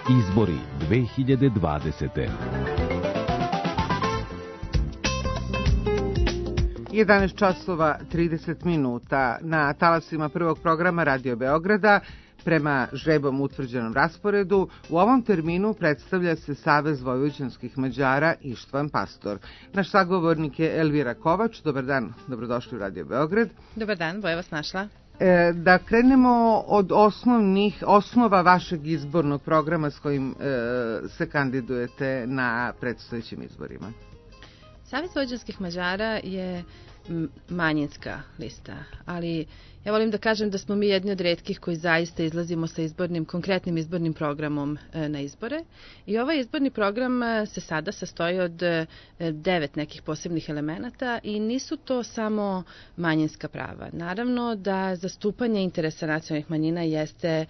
Izbori 2020. 11 časova 30 minuta na talasima prvog programa Radio Beograda. Prema žrebom utvrđenom rasporedu, u ovom terminu predstavlja se Savez vojvođanskih Mađara Ištvan Pastor. Naš sagovornik je Elvira Kovač. Dobar dan, dobrodošli u Radio Beograd. Dobar dan, Boja vas našla. Da krenemo od osnova vašeg izbornog programa s kojim se kandidujete na predstojećim izborima. Savez vojvođanskih Mađara je manjinska lista, ali ja volim da kažem da smo mi jedni od retkih koji zaista izlazimo sa konkretnim izbornim programom na izbore. I ovaj izborni program se sada sastoji od 9 nekih posebnih elemenata i nisu to samo manjinska prava. Naravno da zastupanje interesa nacionalnih manjina jeste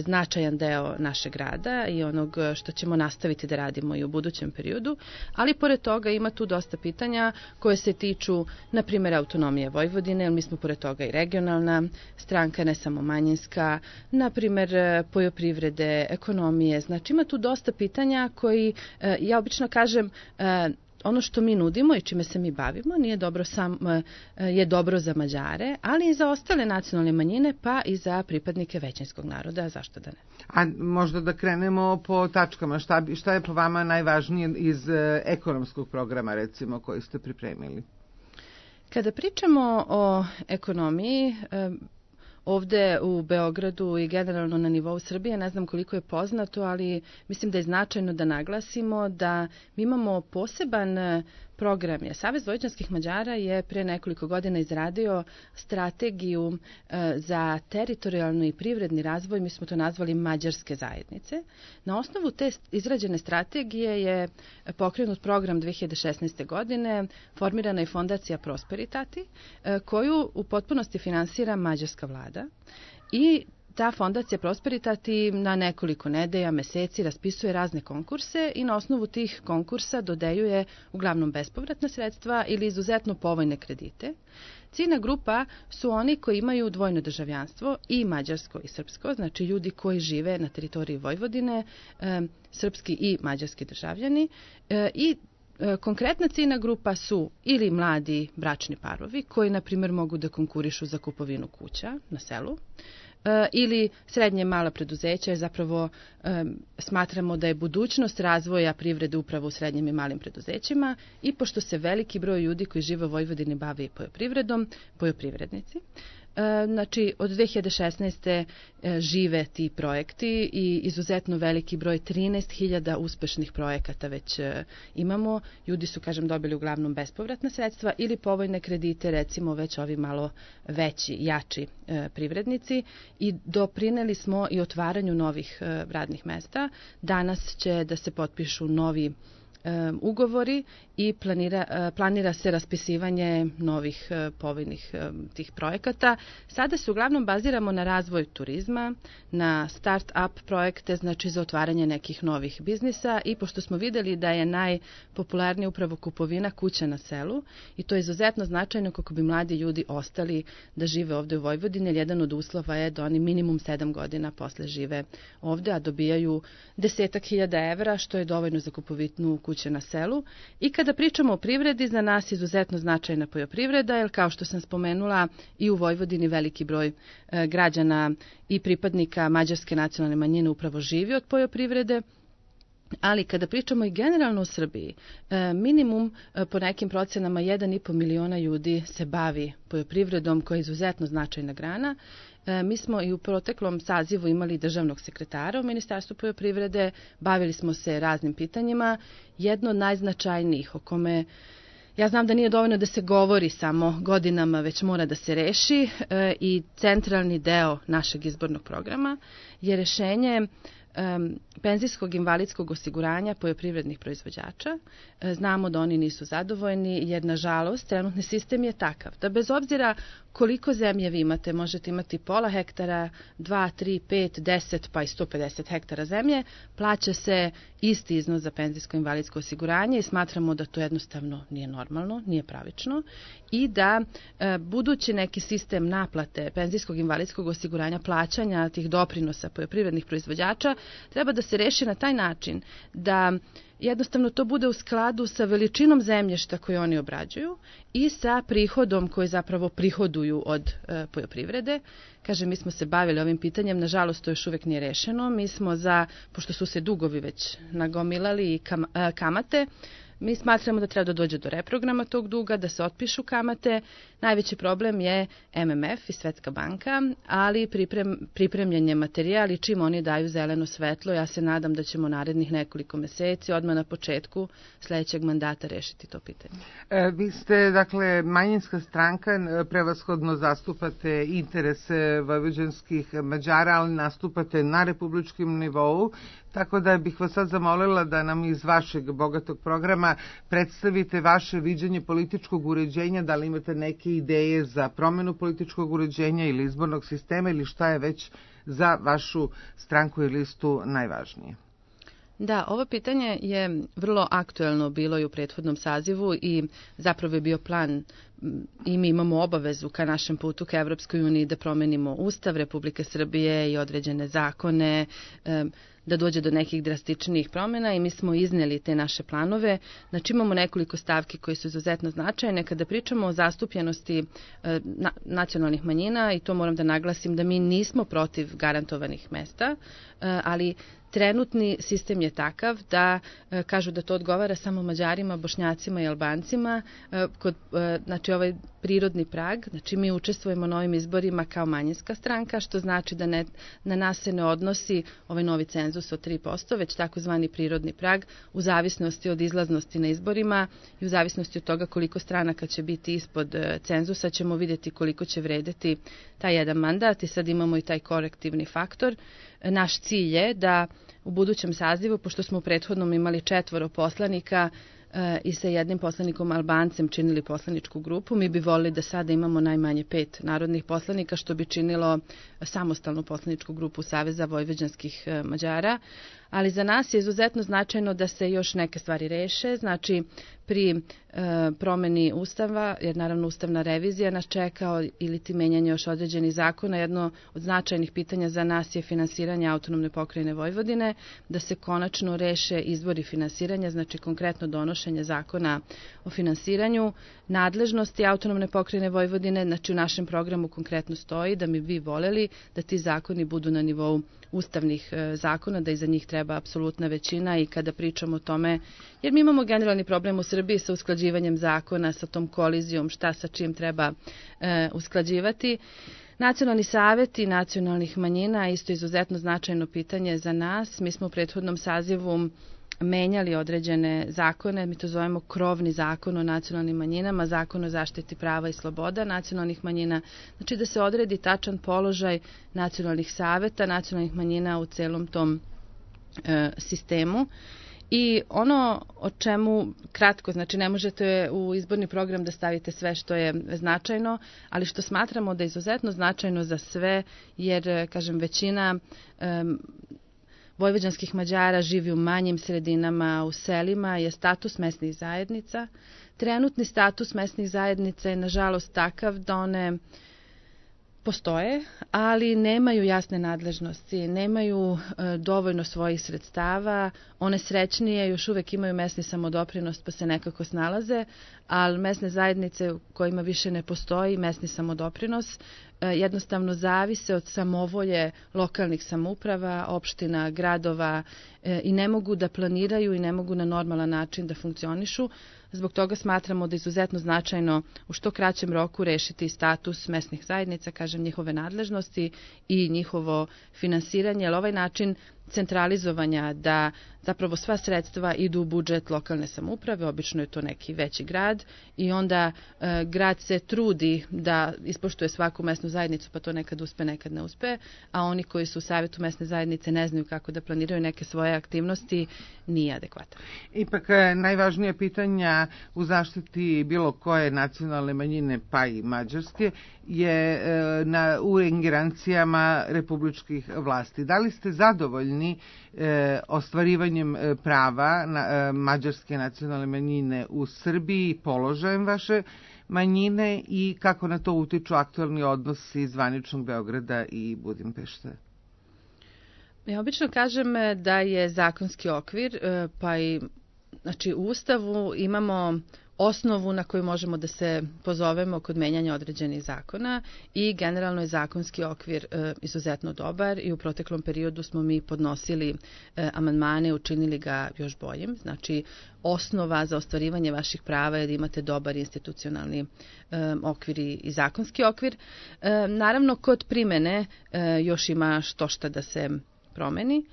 značajan deo našeg rada i onog što ćemo nastaviti da radimo i u budućem periodu, ali pored toga ima tu dosta pitanja koje se tiču, na primjer, autonomije Vojvodine, jer mi smo pored toga i regionalna stranka, ne samo manjinska, na primjer poljoprivrede, ekonomije. Znači ima tu dosta pitanja koji, ja obično kažem, ono što mi nudimo i čime se mi bavimo je dobro za Mađare, ali i za ostale nacionalne manjine, pa i za pripadnike većinskog naroda, zašto da ne. A možda da krenemo po tačkama, šta je po vama najvažnije iz ekonomskog programa, recimo, koji ste pripremili? Kada pričamo o ekonomiji, ovde u Beogradu i generalno na nivou Srbije, ne znam koliko je poznato, ali mislim da je značajno da naglasimo da mi imamo poseban program. Savez vojvođanskih Mađara je pre nekoliko godina izradio strategiju za teritorijalni i privredni razvoj, mi smo to nazvali Mađarske zajednice. Na osnovu te izrađene strategije je pokrenut program 2016. godine, formirana je fondacija Prosperitati, koju u potpunosti finansira mađarska vlada i ta fondacija Prosperitati na nekoliko nedelja, meseci raspisuje razne konkurse i na osnovu tih konkursa dodeljuje uglavnom bespovratna sredstva ili izuzetno povoljne kredite. Ciljna grupa su oni koji imaju dvojno državljanstvo, i mađarsko i srpsko, znači ljudi koji žive na teritoriji Vojvodine, srpski i mađarski državljani, i konkretna ciljna grupa su ili mladi bračni parovi koji, na primjer, mogu da konkurišu za kupovinu kuća na selu, ili srednje mala preduzeća, jer zapravo smatramo da je budućnost razvoja privrede upravo u srednjim i malim preduzećima, i pošto se veliki broj ljudi koji žive u Vojvodini bavi poljoprivredom, poljoprivrednici. Znači, od 2016. žive ti projekti i izuzetno veliki broj, 13.000 uspešnih projekata već imamo. Ljudi su, dobili uglavnom bespovratna sredstva ili povoljne kredite, recimo već ovi malo veći, jači privrednici, i doprineli smo i otvaranju novih radnih mesta. Danas će da se potpišu novi ugovori i planira se raspisivanje novih povoljnih tih projekata. Sada se uglavnom baziramo na razvoj turizma, na start-up projekte, znači za otvaranje nekih novih biznisa, i pošto smo videli da je najpopularnija upravo kupovina kuća na selu, i to je izuzetno značajno kako bi mladi ljudi ostali da žive ovde u Vojvodini, jer jedan od uslova je da oni minimum 7 godina posle žive ovde, a dobijaju 10.000 evra, što je dovoljno za kupovinu kuće na selu. I kada pričamo o privredi, za nas je izuzetno značajna poljoprivreda, jer kao što sam spomenula, i u Vojvodini veliki broj građana i pripadnika mađarske nacionalne manjine upravo živi od poljoprivrede. Ali kada pričamo i generalno u Srbiji, minimum po nekim procenama 1,5 miliona ljudi se bavi poljoprivredom, koja je izuzetno značajna grana. Mi smo i u proteklom sazivu imali državnog sekretara u Ministarstvu poljoprivrede, bavili smo se raznim pitanjima. Jedno od najznačajnijih, o kome ja znam da nije dovoljno da se govori samo godinama, već mora da se reši, i centralni deo našeg izbornog programa je rešenje penzijskog invalidskog osiguranja poljoprivrednih proizvođača. Znamo da oni nisu zadovoljni, jer nažalost trenutni sistem je takav da bez obzira koliko zemlje vi imate, možete imati pola hektara, 2, 3, 5, 10 pa i 150 hektara zemlje, plaća se isti iznos za penzijsko invalidsko osiguranje i smatramo da to jednostavno nije normalno, nije pravično, i da budući neki sistem naplate penzijskog invalidskog osiguranja, plaćanja tih doprinosa poljoprivrednih proizvođača treba da se reši na taj način da jednostavno to bude u skladu sa veličinom zemljišta koje oni obrađuju i sa prihodom koji zapravo prihoduju od poljoprivrede. Kažem, mi smo se bavili ovim pitanjem, nažalost to još uvek nije rešeno. Mi smo pošto su se dugovi već nagomilali i kamate, mi smatramo da treba da dođe do reprograma tog duga, da se otpišu kamate. Najveći problem je MMF i Svetska banka, ali pripremljen je materijal i čim oni daju zeleno svetlo, ja se nadam da ćemo narednih nekoliko meseci, odmah na početku sledećeg mandata rešiti to pitanje. Vi ste, dakle, manjinska stranka, prevashodno zastupate interese vojvođanskih Mađara, ali nastupate na republičkom nivou, tako da bih vas sad zamolila da nam iz vašeg bogatog programa predstavite vaše viđenje političkog uređenja, da li imate neke ideje za promenu političkog uređenja ili izbornog sistema ili šta je već za vašu stranku i listu najvažnije. Da, ovo pitanje je vrlo aktuelno bilo i u prethodnom sazivu i zapravo je bio plan i mi imamo obavezu ka našem putu ka Evropskoj uniji da promenimo Ustav Republike Srbije i određene zakone, da dođe do nekih drastičnijih promjena i mi smo iznijeli te naše planove. Znači imamo nekoliko stavki koje su izuzetno značajne. Kada pričamo o zastupljenosti nacionalnih manjina, i to moram da naglasim da mi nismo protiv garantovanih mesta, ali trenutni sistem je takav da kažu da to odgovara samo Mađarima, Bošnjacima i Albancima. Znači ovaj prirodni prag, znači mi učestvujemo na ovim izborima kao manjinska stranka, što znači da na nas se ne odnosi ovaj novi cenzus od 3%, već takozvani prirodni prag u zavisnosti od izlaznosti na izborima i u zavisnosti od toga koliko stranaka će biti ispod cenzusa ćemo vidjeti koliko će vredeti taj jedan mandat i sad imamo i taj korektivni faktor. Naš cilj je da u budućem sazivu, pošto smo u prethodnom imali 4 poslanika i sa jednim poslanikom Albancem činili poslaničku grupu, mi bi volili da sada imamo najmanje 5 narodnih poslanika, što bi činilo samostalnu poslaničku grupu Saveza vojvođanskih Mađara. Ali za nas je izuzetno značajno da se još neke stvari reše, znači pri promeni Ustava, jer naravno ustavna revizija nas čeka ili ti menjanje još određenih zakona. Jedno od značajnih pitanja za nas je finansiranje autonomne pokrajine Vojvodine, da se konačno reše izvori finansiranja, znači konkretno donošenje zakona o finansiranju, nadležnosti autonomne pokrajine Vojvodine, znači u našem programu konkretno stoji da mi bi voljeli da ti zakoni budu na nivou ustavnih zakona, da iza njih treba apsolutna većina i kada pričamo o tome, jer mi imamo generalni problem u Srbiji sa usklađivanjem zakona, sa tom kolizijom, šta sa čim treba usklađivati. Nacionalni saveti nacionalnih manjina isto izuzetno značajno pitanje za nas. Mi smo u prethodnom sazivu menjali određene zakone, mi to zovemo krovni zakon o nacionalnim manjinama, zakon o zaštiti prava i sloboda nacionalnih manjina, znači da se odredi tačan položaj nacionalnih saveta, nacionalnih manjina u celom tom sistemu. I ono o čemu kratko, znači ne možete u izborni program da stavite sve što je značajno, ali što smatramo da je izuzetno značajno za sve, jer, kažem, većina vojvođanskih Mađara živi u manjim sredinama, u selima, je status mesnih zajednica. Trenutni status mesnih zajednica je nažalost takav da one postoje, ali nemaju jasne nadležnosti, nemaju dovoljno svojih sredstava, one srećnije još uvek imaju mesni samodoprinos pa se nekako snalaze, ali mesne zajednice u kojima više ne postoji mesni samodoprinos jednostavno zavise od samovolje lokalnih samouprava, opština, gradova i ne mogu da planiraju i ne mogu na normalan način da funkcionišu. Zbog toga smatramo da je izuzetno značajno u što kraćem roku rešiti status mesnih zajednica, kažem, njihove nadležnosti i njihovo finansiranje, jer ovaj način centralizovanja da zapravo sva sredstva idu u budžet lokalne samouprave, obično je to neki veći grad i onda grad se trudi da ispoštuje svaku mesnu zajednicu, pa to nekad uspe, nekad ne uspe, a oni koji su u savjetu mesne zajednice ne znaju kako da planiraju neke svoje aktivnosti, nije adekvatan. Ipak najvažnije pitanja u zaštiti bilo koje nacionalne manjine, pa i mađarske, je u ingerencijama republičkih vlasti. Da li ste zadovoljni ostvarivanjem prava mađarske nacionalne manjine u Srbiji, položajem vaše manjine i kako na to utiču aktualni odnosi zvaničnog Beograda i Budimpešte? Ja obično kažem da je zakonski okvir, pa i znači, u Ustavu imamo osnovu na koju možemo da se pozovemo kod menjanja određenih zakona i generalno je zakonski okvir izuzetno dobar i u proteklom periodu smo mi podnosili amandmane, učinili ga još boljim. Znači, osnova za ostvarivanje vaših prava je da imate dobar institucionalni okvir i zakonski okvir. Naravno, kod primene još ima štošta da se promeni.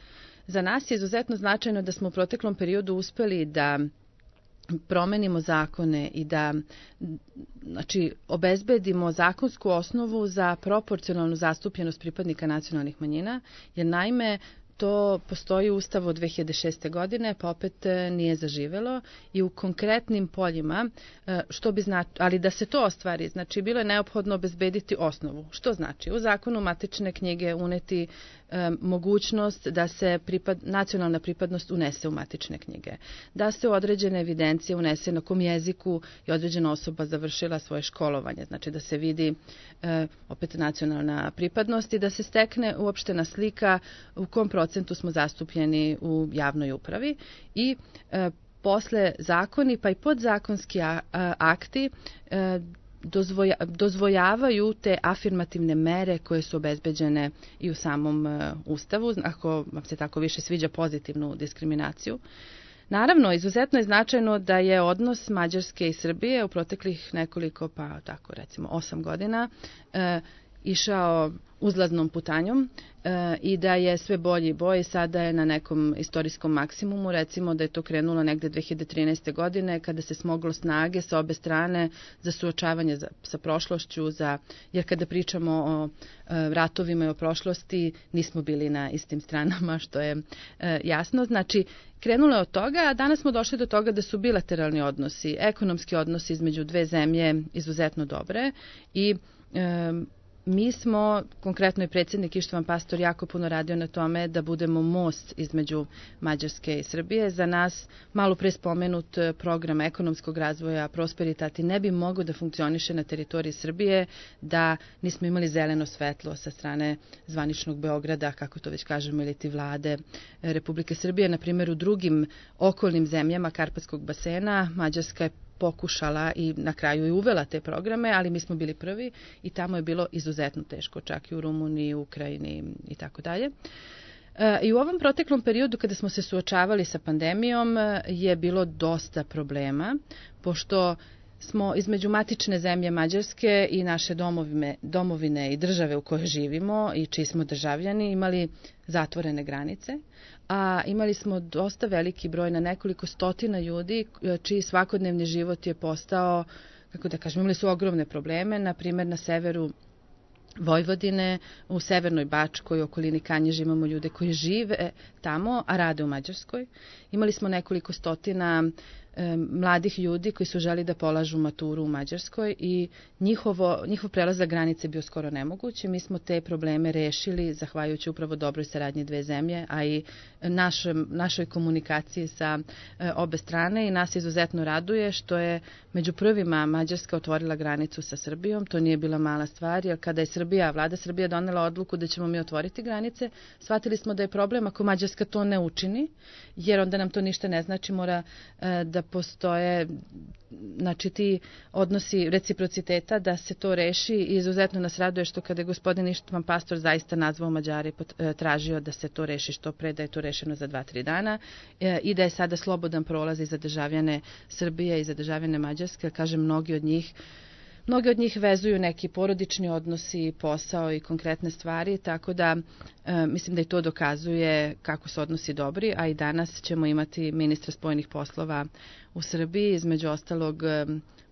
Za nas je izuzetno značajno da smo u proteklom periodu uspeli da promenimo zakone i da znači, obezbedimo zakonsku osnovu za proporcionalnu zastupljenost pripadnika nacionalnih manjina, jer naime to postoji u Ustavu od 2006. godine, pa opet nije zaživelo i u konkretnim poljima, što bi ali da se to ostvari, znači bilo je neophodno obezbediti osnovu. Što znači? U zakonu matične knjige uneti mogućnost da se nacionalna pripadnost unese u matične knjige, da se u određene evidencije unese na kom jeziku je određena osoba završila svoje školovanje, znači da se vidi opet nacionalna pripadnost i da se stekne uopštena slika u kom procentu smo zastupljeni u javnoj upravi i posle zakoni pa i podzakonski akti dozvoljavaju te afirmativne mere koje su obezbeđene i u samom Ustavu, ako vam se tako više sviđa pozitivnu diskriminaciju. Naravno, izuzetno je značajno da je odnos Mađarske i Srbije u proteklih nekoliko, pa tako recimo 8 godina, išao uzlaznom putanjom i da je sve bolji i bolji. Sada je na nekom istorijskom maksimumu, recimo da je to krenulo negde 2013. godine kada se smoglo snage sa obe strane za suočavanje sa prošlošću, jer kada pričamo o ratovima i o prošlosti nismo bili na istim stranama, što je jasno. Znači, krenulo je od toga, a danas smo došli do toga da su bilateralni odnosi, ekonomski odnosi između dve zemlje izuzetno dobre i mi smo, konkretno i predsjednik Ištvan Pastor, jako puno radio na tome da budemo most između Mađarske i Srbije. Za nas malo pre spomenut program ekonomskog razvoja Prosperitati ne bi mogao da funkcioniše na teritoriji Srbije da nismo imali zeleno svetlo sa strane zvaničnog Beograda, kako to već kažemo, ili ti vlade Republike Srbije. Na primjer, u drugim okolnim zemljama Karpatskog basena Mađarska je pokušala i na kraju i uvela te programe, ali mi smo bili prvi i tamo je bilo izuzetno teško, čak i u Rumuniji, Ukrajini i tako dalje. I u ovom proteklom periodu kada smo se suočavali sa pandemijom je bilo dosta problema, pošto smo između matične zemlje Mađarske i naše domovine i države u kojoj živimo i čiji smo državljani imali zatvorene granice, a imali smo dosta veliki broj, na nekoliko stotina ljudi čiji svakodnevni život je postao, kako da kažem, imali su ogromne probleme, na primjer na severu Vojvodine, u severnoj Bačkoj, u okolini Kanjiže imamo ljude koji žive tamo, a rade u Mađarskoj. Imali smo nekoliko stotina mladih ljudi koji su želi da polažu maturu u Mađarskoj i njihov prelazak granice bio skoro nemoguć. Mi smo te probleme rešili zahvaljujući upravo dobroj saradnji dve zemlje, a i našoj komunikaciji sa obe strane i nas izuzetno raduje što je među prvima Mađarska otvorila granicu sa Srbijom. To nije bila mala stvar, jer kada je vlada Srbije donela odluku da ćemo mi otvoriti granice, shvatili smo da je problem ako Mađarska to ne učini, jer onda nam to ništa ne znači, mora da postoje znači ti odnosi reciprociteta da se to reši i izuzetno nas raduje što kada je gospodin Ištvan Pastor zaista nazvao Mađare i tražio da se to reši što pre, da je to rešeno za 2-3 dana i da je sada slobodan prolaz i za državljane Srbije i za državljane Mađarske. Kažem, mnogi od njih vezuju neki porodični odnosi, posao i konkretne stvari, tako da mislim da i to dokazuje kako su odnosi dobri, a i danas ćemo imati ministra spoljnih poslova u Srbiji, između ostalog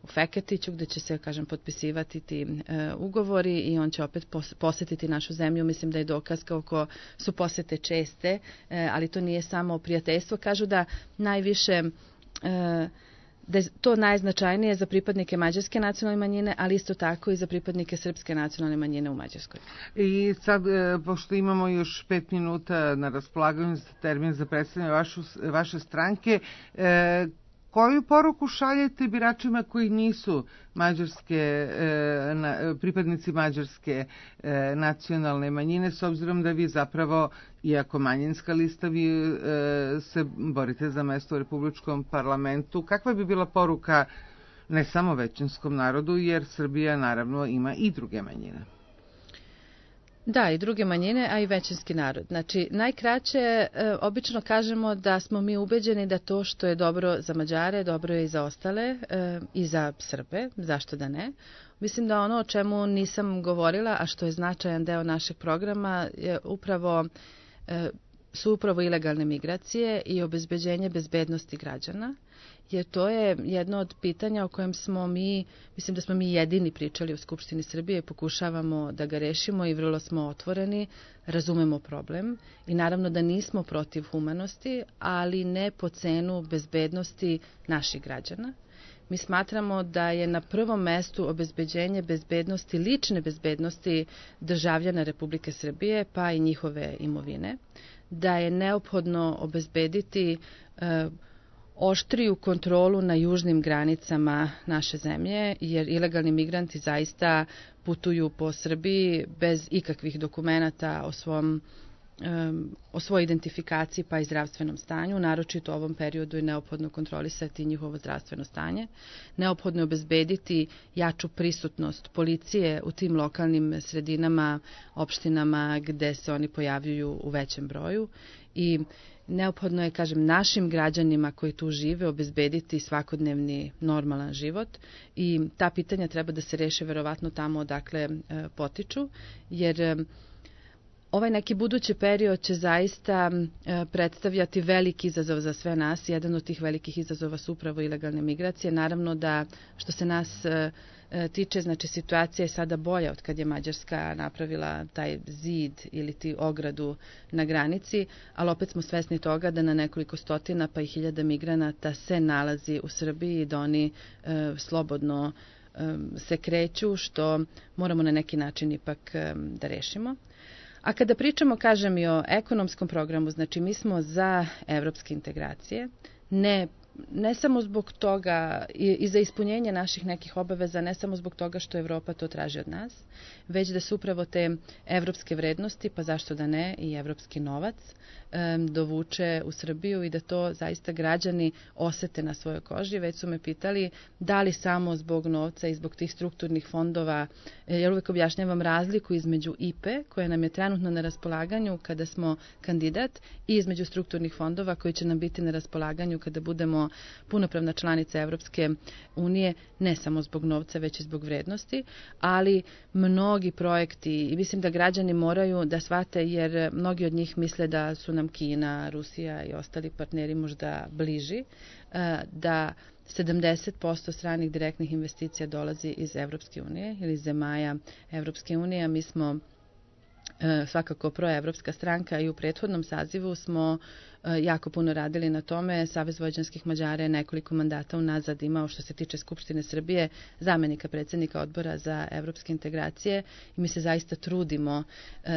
u Feketiću, gde će se, kažem, potpisivati ti ugovori i on će opet posetiti našu zemlju. Mislim da je dokaz kako su posete česte, ali to nije samo prijateljstvo. Kažu da najviše da je to najznačajnije za pripadnike mađarske nacionalne manjine, ali isto tako i za pripadnike srpske nacionalne manjine u Mađarskoj. I sad, pošto imamo još 5 minuta na raspolaganju za termin za predstavljanje vaše stranke, Koju poruku šaljete biračima koji nisu pripadnici mađarske nacionalne manjine, s obzirom da vi zapravo, iako manjinska lista, vi se borite za mesto u Republičkom parlamentu? Kakva bi bila poruka ne samo većinskom narodu, jer Srbija naravno ima i druge manjine? Da, i druge manjine, a i većinski narod. Znači, najkraće obično kažemo da smo mi ubeđeni da to što je dobro za Mađare, dobro je i za ostale, i za Srbe, zašto da ne. Mislim da ono o čemu nisam govorila, a što je značajan deo našeg programa, je su upravo ilegalne migracije i obezbeđenje bezbednosti građana, jer to je jedno od pitanja o kojem mislim da smo mi jedini pričali u Skupštini Srbije i pokušavamo da ga rešimo i vrlo smo otvoreni, razumemo problem i naravno da nismo protiv humanosti, ali ne po cenu bezbednosti naših građana. Mi smatramo da je na prvom mestu obezbeđenje bezbednosti, lične bezbednosti državljana Republike Srbije, pa i njihove imovine, da je neophodno obezbediti oštriju kontrolu na južnim granicama naše zemlje, jer ilegalni migranti zaista putuju po Srbiji bez ikakvih dokumenata o svojoj identifikaciji pa i zdravstvenom stanju. Naročito u ovom periodu je neophodno kontrolisati njihovo zdravstveno stanje. Neophodno je obezbediti jaču prisutnost policije u tim lokalnim sredinama, opštinama gde se oni pojavljuju u većem broju i neophodno je, našim građanima koji tu žive obezbediti svakodnevni normalan život i ta pitanja treba da se reše verovatno tamo odakle potiču, jer ovaj neki budući period će zaista predstavljati veliki izazov za sve nas. Jedan od tih velikih izazova su upravo ilegalne migracije. Naravno da što se nas tiče, situacija je sada bolja od kad je Mađarska napravila taj zid ili ti ogradu na granici, ali opet smo svesni toga da na nekoliko stotina pa i hiljada migranata se nalazi u Srbiji i da oni slobodno se kreću, što moramo na neki način ipak da rešimo. A kada pričamo, i o ekonomskom programu, mi smo za evropske integracije, ne samo zbog toga i za ispunjenje naših nekih obaveza, ne samo zbog toga što Evropa to traži od nas, već da su upravo te evropske vrednosti, pa zašto da ne, i evropski novac, dovuče u Srbiju i da to zaista građani osete na svojoj koži. Već su me pitali da li samo zbog novca i zbog tih strukturnih fondova, jer uvek objašnjavam razliku između IPE, koja nam je trenutno na raspolaganju kada smo kandidat, i između strukturnih fondova koji će nam biti na raspolaganju kada budemo punopravna članica Evropske unije, ne samo zbog novca, već i zbog vrednosti, ali mnogi projekti, i mislim da građani moraju da shvate, jer mnogi od njih misle da su nam Kina, Rusija i ostali partneri možda bliži, da 70% stranih direktnih investicija dolazi iz Evropske unije ili zemalja Evropske unije, a mi smo svakako proevropska stranka i u prethodnom sazivu smo jako puno radili na tome. Savez vojvođanskih Mađara je nekoliko mandata unazad imao, što se tiče Skupštine Srbije, zamenika predsjednika odbora za evropske integracije i mi se zaista trudimo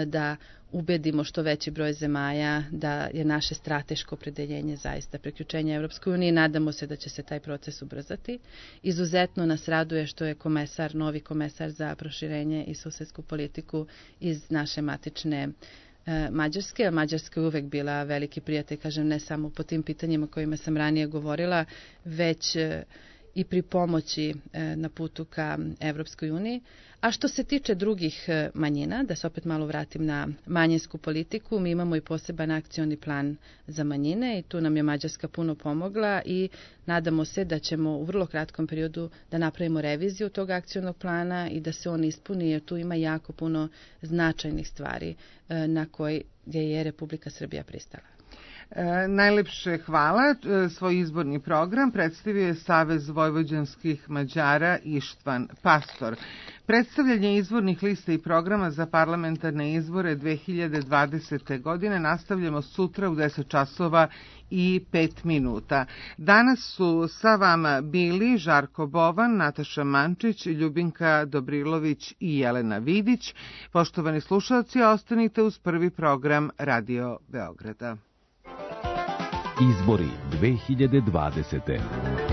da ubedimo što veći broj zemalja da je naše strateško opredeljenje zaista priključenje Evropskoj uniji. Nadamo se da će se taj proces ubrzati. Izuzetno nas raduje što je novi komesar za proširenje i susedsku politiku iz naše matične Mađarske. Mađarska je uvek bila veliki prijatelj, ne samo po tim pitanjima kojima sam ranije govorila, već i pri pomoći na putu ka Evropskoj uniji. A što se tiče drugih manjina, da se opet malo vratim na manjinsku politiku, mi imamo i poseban akcioni plan za manjine i tu nam je Mađarska puno pomogla i nadamo se da ćemo u vrlo kratkom periodu da napravimo reviziju tog akcionog plana i da se on ispuni, jer tu ima jako puno značajnih stvari na koje je Republika Srbija pristala. Najlepše hvala. Svoj izborni program predstavio je Savez vojvođanskih Mađara Ištvan Pastor. Predstavljanje izbornih lista i programa za parlamentarne izbore 2020. godine nastavljamo sutra u 10 časova i 5 minuta. Danas su sa vama bili Žarko Bovan, Nataša Mančić, Ljubinka Dobrilović i Jelena Vidić. Poštovani slušalci, ostanite uz prvi program Radio Beograda. Izbori 2020.